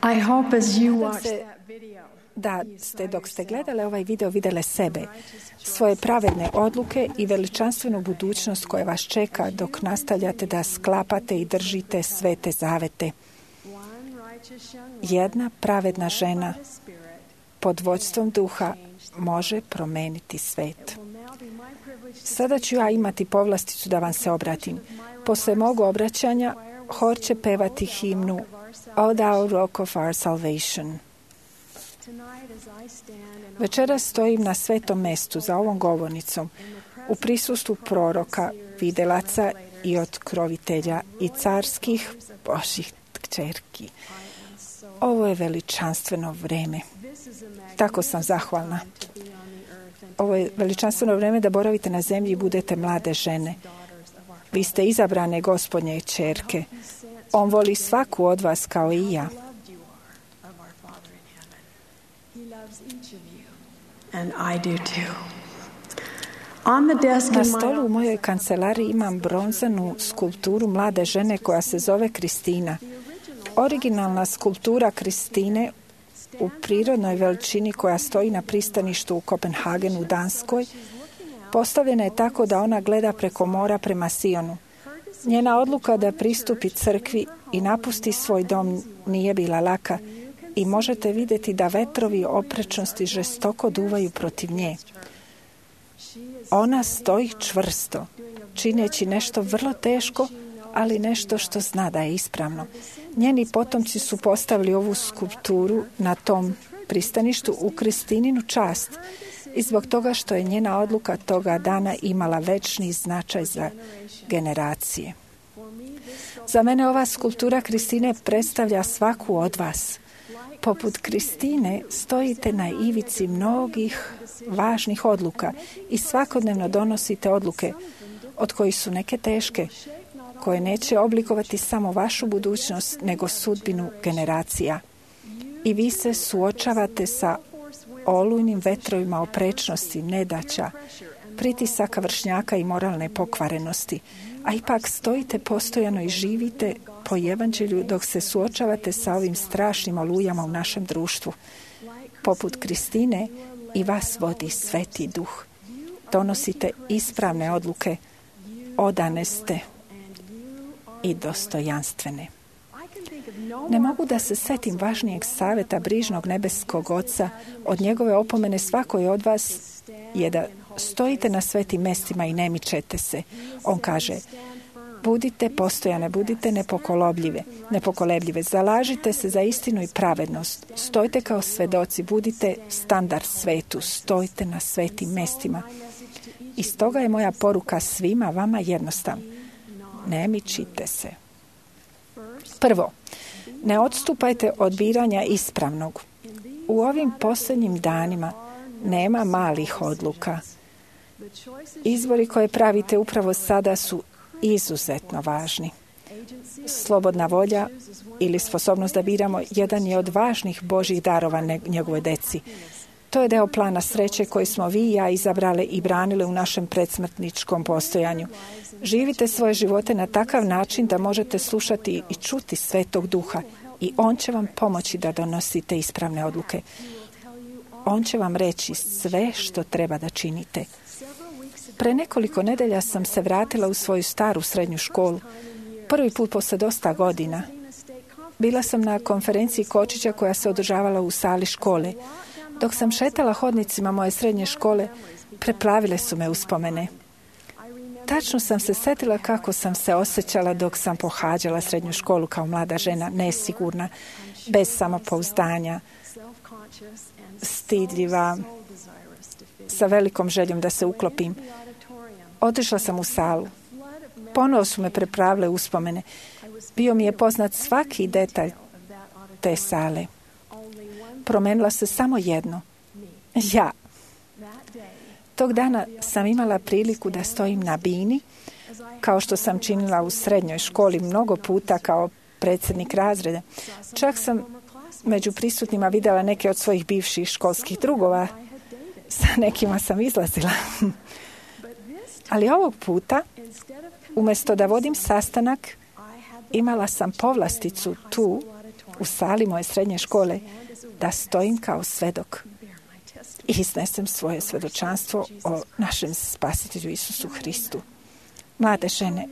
I hope as you Nadam watch se that video, da ste, dok ste gledali ovaj video, vidjeli sebe, svoje pravedne odluke i veličanstvenu budućnost koja vas čeka dok nastavljate da sklapate i držite svete zavete. Jedna pravedna žena pod vođstvom duha može promeniti svet. Sada ću ja imati povlasticu da vam se obratim. Posle mog obraćanja, hor će pevati himnu O thou rock of our salvation. Večeras stojim na svetom mestu za ovom govornicom u prisustvu proroka, videlaca i otkrovitelja i carskih Božih kćerki. Ovo je veličanstveno vreme. Tako sam zahvalna. Ovo je veličanstveno vreme da boravite na zemlji i budete mlade žene. Vi ste izabrane Gospodnje kćerke. On voli svaku od vas kao i ja. and I do too. On the desk Na in my stolu u mojoj kancelariji imam bronzanu skulpturu mlade žene koja se zove Kristina. Originalna skulptura Kristine u prirodnoj veličini koja stoji na pristaništu u Kopenhagenu u Danskoj postavljena je tako da ona gleda preko mora prema Sionu. Njena odluka da pristupi crkvi i napusti svoj dom nije bila laka i možete vidjeti da vetrovi oprečnosti žestoko duvaju protiv nje. Ona stoji čvrsto, čineći nešto vrlo teško, ali nešto što zna da je ispravno. Njeni potomci su postavili ovu skulpturu na tom pristaništu u Kristininu čast i zbog toga što je njena odluka toga dana imala večni značaj za generacije. Za mene ova skulptura Kristine predstavlja svaku od vas. Poput Kristine stojite na ivici mnogih važnih odluka i svakodnevno donosite odluke, od kojih su neke teške, koje neće oblikovati samo vašu budućnost, nego sudbinu generacija. I vi se suočavate sa olujnim vetrovima oprečnosti, nedaća, pritisaka vršnjaka i moralne pokvarenosti, a ipak stojite postojano i živite po evanđelju dok se suočavate sa ovim strašnim olujama u našem društvu. Poput Kristine i vas vodi Sveti Duh. Donosite ispravne odluke, odane ste i dostojanstvene. Ne mogu da se setim važnijeg savjeta brižnog nebeskog Oca od njegove opomene svakoj od vas je da stojite na svetim mestima i ne mičete se. On kaže, budite postojane, budite nepokolebljive, zalažite se za istinu i pravednost, stojite kao svedoci, budite standard svetu, stojite na svetim mestima. I stoga je moja poruka svima vama jednostavna. Ne mičite se. Prvo, ne odstupajte od biranja ispravnog. U ovim posljednjim danima nema malih odluka. Izbori koje pravite upravo sada su izuzetno važni. Slobodna volja ili sposobnost da biramo jedan je od važnih Božjih darova njegove deci. To je deo plana sreće koji smo vi i ja izabrali i branili u našem predsmrtničkom postojanju. Živite svoje živote na takav način da možete slušati i čuti Svetog Duha i On će vam pomoći da donosite ispravne odluke. On će vam reći sve što treba da činite. Pre nekoliko nedelja sam se vratila u svoju staru srednju školu. Prvi put posle dosta godina. Bila sam na konferenciji Kočića koja se održavala u sali škole. Dok sam šetala hodnicima moje srednje škole, preplavile su me uspomene. Tačno sam se setila kako sam se osjećala dok sam pohađala srednju školu kao mlada žena, nesigurna, bez samopouzdanja, stidljiva, sa velikom željom da se uklopim. Otišla sam u salu. Ponovo su me preplavile uspomene. Bio mi je poznat svaki detalj te sale. Promenila se samo jedno. Ja. Tog dana sam imala priliku da stojim na bini, kao što sam činila u srednjoj školi mnogo puta kao predsjednik razreda. Čak sam među prisutnima vidjela neke od svojih bivših školskih drugova. Sa nekima sam izlazila. Ali ovog puta, umjesto da vodim sastanak, imala sam povlasticu tu u sali moje srednje škole da stojim kao svedok i iznesem svoje svedočanstvo o našem spasitelju Isusu Hristu. Mlade žene,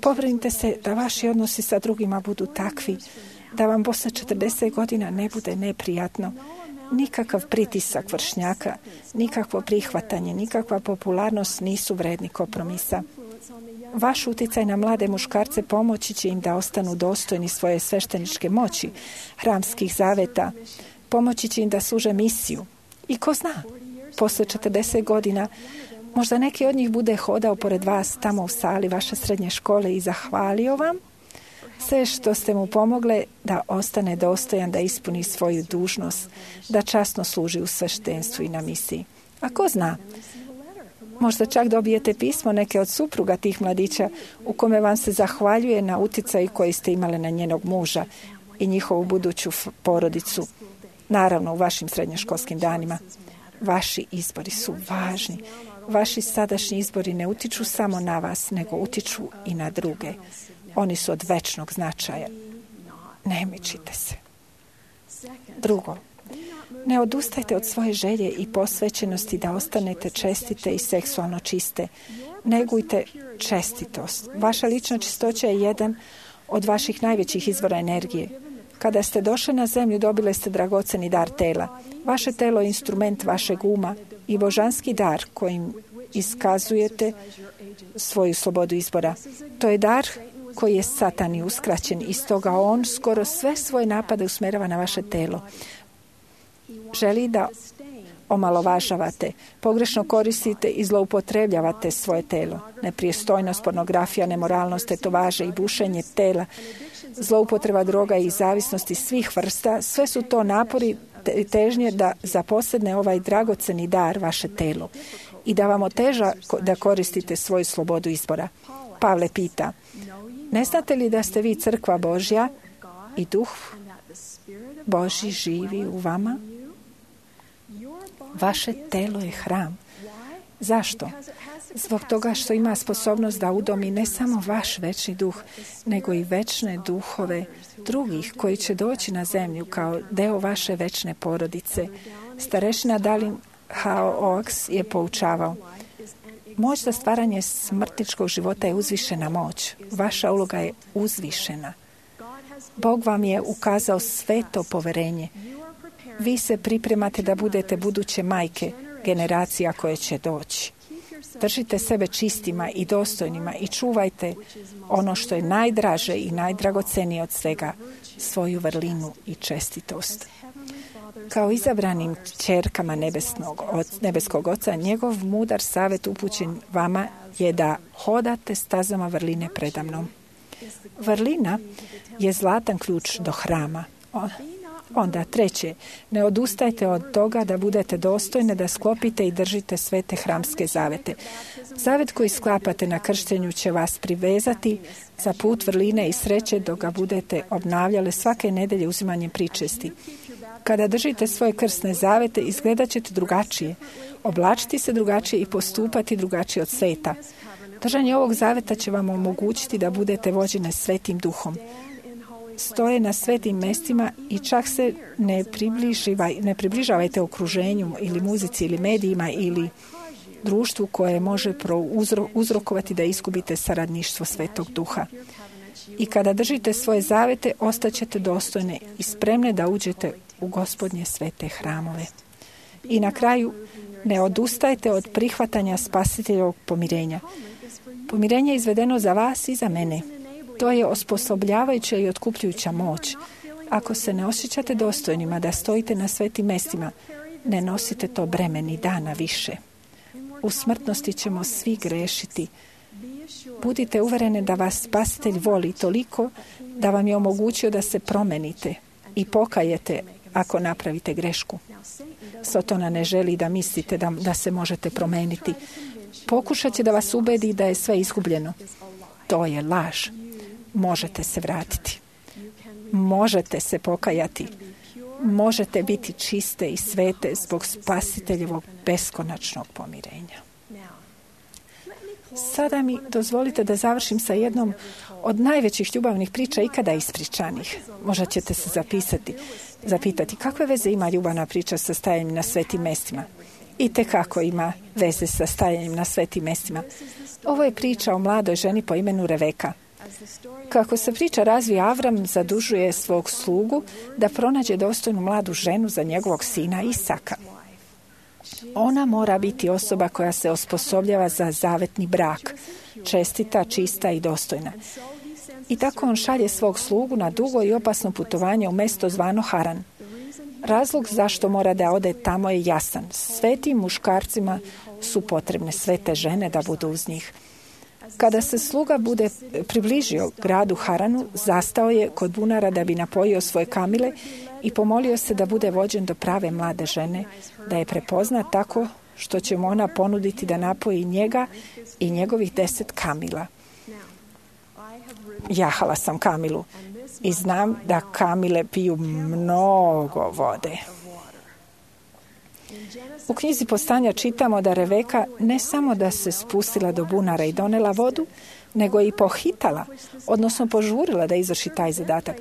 pobrinite se da vaši odnosi sa drugima budu takvi, da vam posle 40 godina ne bude neprijatno, nikakav pritisak vršnjaka, nikakvo prihvatanje, nikakva popularnost nisu vredni kompromisa. Vaš utjecaj na mlade muškarce pomoći će im da ostanu dostojni svoje svešteničke moći, hramskih zaveta, pomoći će im da služe misiju. I ko zna, posle 40 godina možda neki od njih bude hodao pored vas tamo u sali vaše srednje škole i zahvalio vam sve što ste mu pomogle da ostane dostojan, da ispuni svoju dužnost, da časno služi u sveštenstvu i na misiji. A ko zna, možda čak dobijete pismo neke od supruga tih mladića u kome vam se zahvaljuje na utjecaju koji ste imali na njenog muža i njihovu buduću porodicu. Naravno, u vašim srednjoškolskim danima. Vaši izbori su važni. Vaši sadašnji izbori ne utiču samo na vas, nego utiču i na druge. Oni su od večnog značaja. Ne mičite se. Drugo, ne odustajte od svoje želje i posvećenosti da ostanete čestite i seksualno čiste. Negujte čestitost. Vaša lična čistoća je jedan od vaših najvećih izvora energije. Kada ste došli na zemlju, dobili ste dragoceni dar tela. Vaše telo je instrument vašeg uma i božanski dar kojim iskazujete svoju slobodu izbora. To je dar koji je Satani uskraćen i stoga on skoro sve svoje napade usmjerava na vaše telo. Želi da omalovažavate, pogrešno koristite i zloupotrebljavate svoje telo. Nepristojnost, pornografija, nemoralnost, tetovaže i bušenje tela, zloupotreba droga i zavisnosti svih vrsta, sve su to napori i težnje da zaposedne ovaj dragoceni dar vaše telo i da vam oteža da koristite svoju slobodu izbora. Pavle pita, ne znate li da ste vi crkva Božja i duh Božji živi u vama? Vaše telo je hram. Zašto? Zbog toga što ima sposobnost da udomi ne samo vaš večni duh, nego i večne duhove drugih koji će doći na zemlju kao deo vaše večne porodice. Starešina Dalin Hao-Oaks je poučavao. Moć za stvaranje smrtničkog života je uzvišena moć. Vaša uloga je uzvišena. Bog vam je ukazao sveto poverenje. Vi se pripremate da budete buduće majke generacija koje će doći. Držite sebe čistima i dostojnima i čuvajte ono što je najdraže i najdragocenije od svega, svoju vrlinu i čestitost. Kao izabranim ćerkama nebeskog Oca, njegov mudar savjet upućen vama je da hodate stazama vrline predamnom. Vrlina je zlatan ključ do hrama. Onda, treće, ne odustajte od toga da budete dostojne, da sklopite i držite svete hramske zavete. Zavet koji sklapate na krštenju će vas privezati za put vrline i sreće dok ga budete obnavljale svake nedelje uzimanjem pričesti. Kada držite svoje krsne zavete, izgledat ćete drugačije, oblačiti se drugačije i postupati drugačije od sveta. Držanje ovog zaveta će vam omogućiti da budete vođene svetim duhom. Stoje na svetim mestima i čak se ne približavajte okruženju ili muzici ili medijima ili društvu koje može uzrokovati da izgubite saradništvo Svetog Duha. I kada držite svoje zavete, ostaćete dostojne i spremne da uđete u Gospodnje svete hramove. I na kraju, ne odustajte od prihvatanja Spasiteljevog pomirenja. Pomirenje je izvedeno za vas i za mene. To je osposobljavajuća i otkupljujuća moć. Ako se ne osjećate dostojnima da stojite na svetim mestima, ne nosite to breme ni dana više. U smrtnosti ćemo svi grešiti. Budite uverene da vas Spasitelj voli toliko da vam je omogućio da se promenite i pokajete ako napravite grešku. Sotona ne želi da mislite da se možete promeniti. Pokušat će da vas ubedi da je sve izgubljeno. To je laž. Možete se vratiti. Možete se pokajati. Možete biti čiste i svete zbog Spasiteljevog beskonačnog pomirenja. Sada mi dozvolite da završim sa jednom od najvećih ljubavnih priča ikada ispričanih. Možda ćete se zapitati kakve veze ima ljubavna priča sa stajanjem na svetim mestima. I tekako ima veze sa stajanjem na svetim mestima. Ovo je priča o mladoj ženi po imenu Reveka. Kako se priča razvija, Avram zadužuje svog slugu da pronađe dostojnu mladu ženu za njegovog sina Isaka. Ona mora biti osoba koja se osposobljava za zavetni brak, čestita, čista i dostojna. I tako on šalje svog slugu na dugo i opasno putovanje u mesto zvano Haran. Razlog zašto mora da ode tamo je jasan. Svetim muškarcima su potrebne svete žene da budu uz njih. Kada se sluga bude približio gradu Haranu, zastao je kod bunara da bi napojio svoje kamile i pomolio se da bude vođen do prave mlade žene, da je prepozna tako što će mu ona ponuditi da napoji njega i njegovih 10 kamila. Jahala sam kamilu i znam da kamile piju mnogo vode. U knjizi Postanja čitamo da Reveka ne samo da se spustila do bunara i donela vodu, nego je i pohitala, odnosno požurila da izvrši taj zadatak.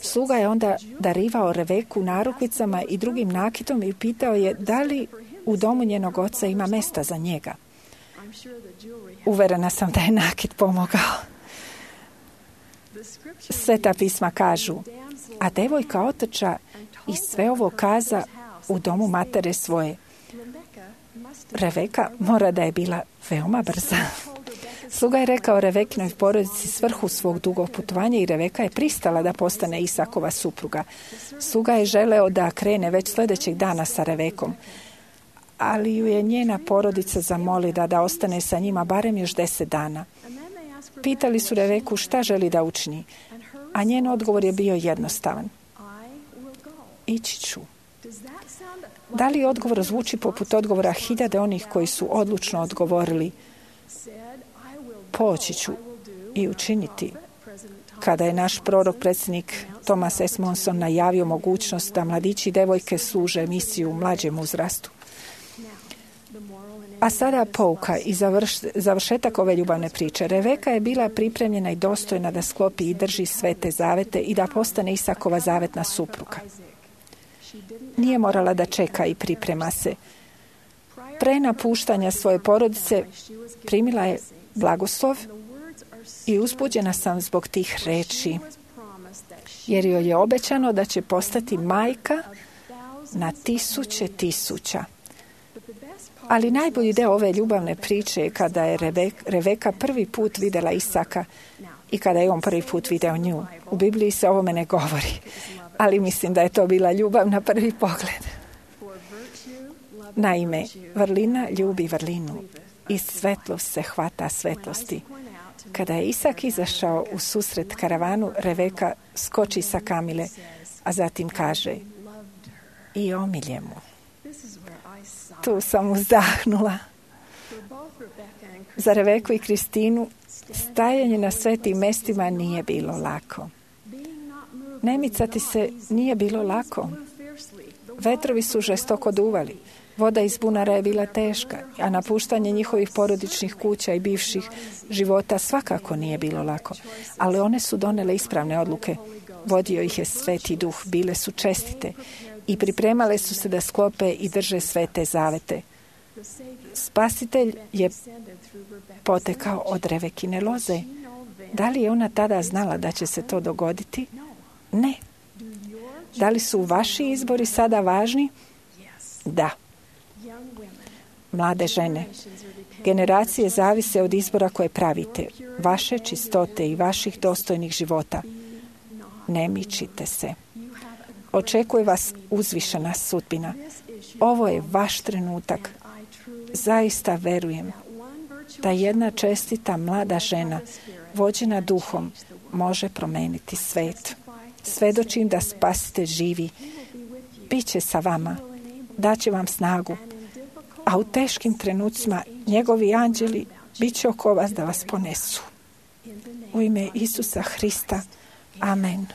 Sluga je onda darivao Reveku narukvicama i drugim nakitom i pitao je da li u domu njenog oca ima mesta za njega. Uverena sam da je nakit pomogao. Sveta pisma kažu, a devojka otrča i sve ovo kaza u domu matere svoje. Reveka mora da je bila veoma brza. Sluga je rekao Revekinoj porodici svrhu svog dugog putovanja i Reveka je pristala da postane Isakova supruga. Sluga je želeo da krene već sljedećeg dana sa Revekom, ali ju je njena porodica zamolila da ostane sa njima barem još 10 dana. Pitali su Reveku šta želi da učini, a njen odgovor je bio jednostavan. Ići ću. Da li odgovor zvuči poput odgovora hiljade onih koji su odlučno odgovorili poći ću i učiniti? Kada je naš prorok, predsjednik Thomas S. Monson najavio mogućnost da mladići i devojke služe misiju u mlađem uzrastu. A sada pouka i završetak ove ljubavne priče. Reveka je bila pripremljena i dostojna da sklopi i drži svete zavete i da postane Isakova zavetna supruga. Nije morala da čeka i priprema se. Pre napuštanja svoje porodice primila je blagoslov i uzbuđena sam zbog tih reči, jer joj je obećano da će postati majka na 1000. Ali najbolji deo ove ljubavne priče je kada je Reveka prvi put vidjela Isaka i kada je on prvi put vidio nju. U Bibliji se o ovome ne govori, ali mislim da je to bila ljubav na prvi pogled. Naime, vrlina ljubi vrlinu i svetlost se hvata svetlosti. Kada je Isak izašao u susret karavanu, Reveka skoči sa kamile, a zatim kaže i omilje mu. Tu sam uzdahnula. Za Reveku i Kristinu stajanje na svetim mestima nije bilo lako. Ne micati se nije bilo lako. Vetrovi su žestoko duvali. Voda iz bunara je bila teška, a napuštanje njihovih porodičnih kuća i bivših života svakako nije bilo lako. Ali one su donele ispravne odluke. Vodio ih je Sveti Duh, bile su čestite i pripremale su se da sklope i drže svete zavete. Spasitelj je potekao od Revekine loze. Da li je ona tada znala da će se to dogoditi? Ne. Da li su vaši izbori sada važni? Da. Mlade žene, generacije zavise od izbora koje pravite, vaše čistote i vaših dostojnih života. Ne mičite se. Očekuje vas uzvišena sudbina. Ovo je vaš trenutak. Zaista verujem da jedna čestita mlada žena, vođena duhom, može promeniti svet. Svedočim da Spasitelj živi. Biće sa vama. Daće vam snagu. A u teškim trenucima njegovi anđeli bit će oko vas da vas ponesu. U ime Isusa Hrista. Amen.